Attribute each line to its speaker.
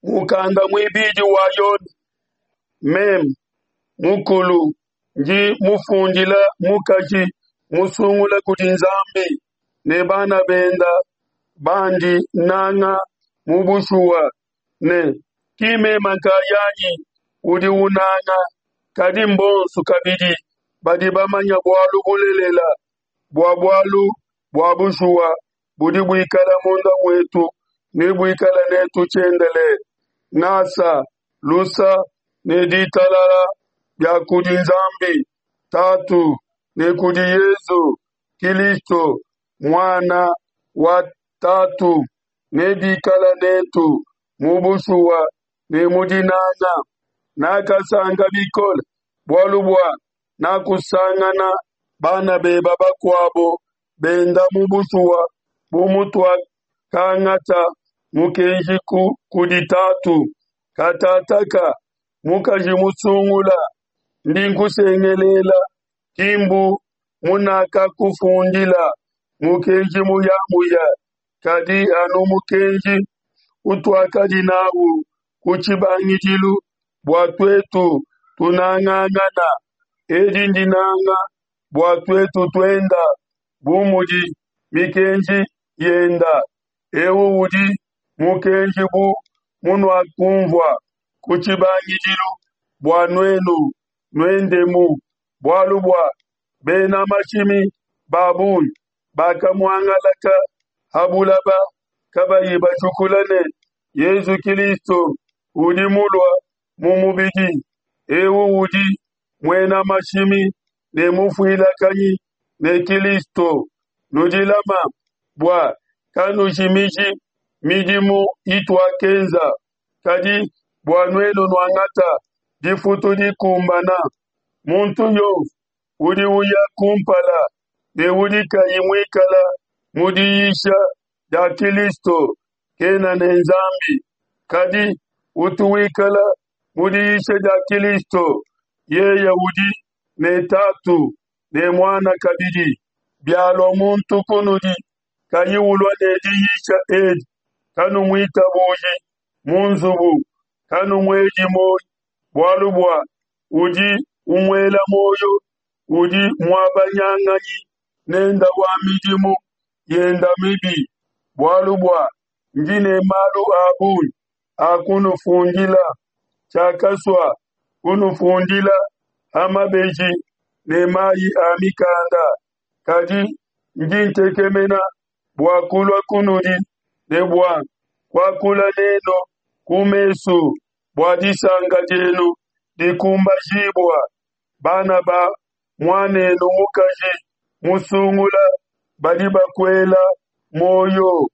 Speaker 1: Mukanda muibidi wa Yone. Meme mukulu ndi mufundila mukaji musungula kudi Nzambi ne bana benda bandi nanga mu bushuwa ne ki mema nkayanyi udi unanga kadi mbonsu kabidi badi bamanya bualu bulelela bua bualu bua bushuwa budi buikala munda muetu ne buikala netu tshiendelele. Ngasa, lusa ne ditalala bia kudi Nzambi Tatu ne kudi Yezu Kilisto Muana wa Tatu nebikala netu mu bushuwa ne mu dinanga. Nakasanka bikole bualu bua nakusangana bana beba bakuabo benda mu bushuwa bu mutuakangata mukenji kudi Tatu. Katataka mukaji musungula ndi nkusengelela ki mbu munakakufundila mukenji muyamuya kadi anu mukenji utuakadi nawu ku tshibangidilu bua tuetu tunangangana. Edi ndinanga bua tuetu tuenda bu mudi mikenji yenda. Eu udi mukenji bu munuakumvua ku tshibangidilu bua nuenu nuendemu. Bualu bua bena mashimi ba bungi bakamuangalaka ha bulaba kabayi bajukula ne Yezu Kilisto udi mulua mu mubidi. Eu udi muena mashimi ne mufuilakanyi ne Kilisto. Nudilama bua kanujimiji midimu ituakenza, kadi bua nuenu nuangata difutu dikumbana. Muntu yonso udi uya kumpala ne udi kayi muikala mu diyisha dia Kilisto kena ne Nzambi, kadi utu wikala mu diyisha dia Kilisto, yeye udi ne Tatu ne Muana kabidi. Bialua muntu kunudi kayi ulua ne diyisha edi, kanumuitabuji mu nzubu, kanumuedi muoyo, bualu bua udi umuela muoyo udi muabanyanganyi nenda wa midimu yenda mibi. Bualu bua ndi ne malu a bungi a kunufundila, tshiakasua kunufundila ha mabeji ne mayi a mikanda, kadi ndi ntekemena bua kulua kunudi ne bua kuakula nenu ku mesu bua disanka dienu dikumbajibua. Bana ba muanenu mukaji musungula badi bakuela muoyo.